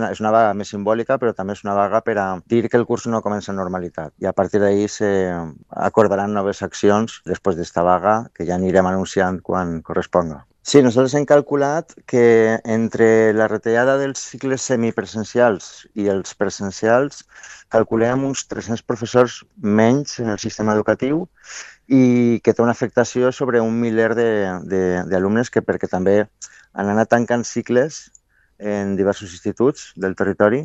És una vaga més simbòlica, però també és una vaga per a dir que el curs no comença en normalitat. I a partir d'ahir s'acordaran noves accions després d'esta vaga, que ja anirem anunciant quan corresponga. Sí, nosaltres hem calculat que entre la retallada dels cicles semipresencials i els presencials calculem uns 300 professors menys en el sistema educatiu i que té una afectació sobre un miler d'alumnes perquè també han anat tancant cicles en diversos instituts del territori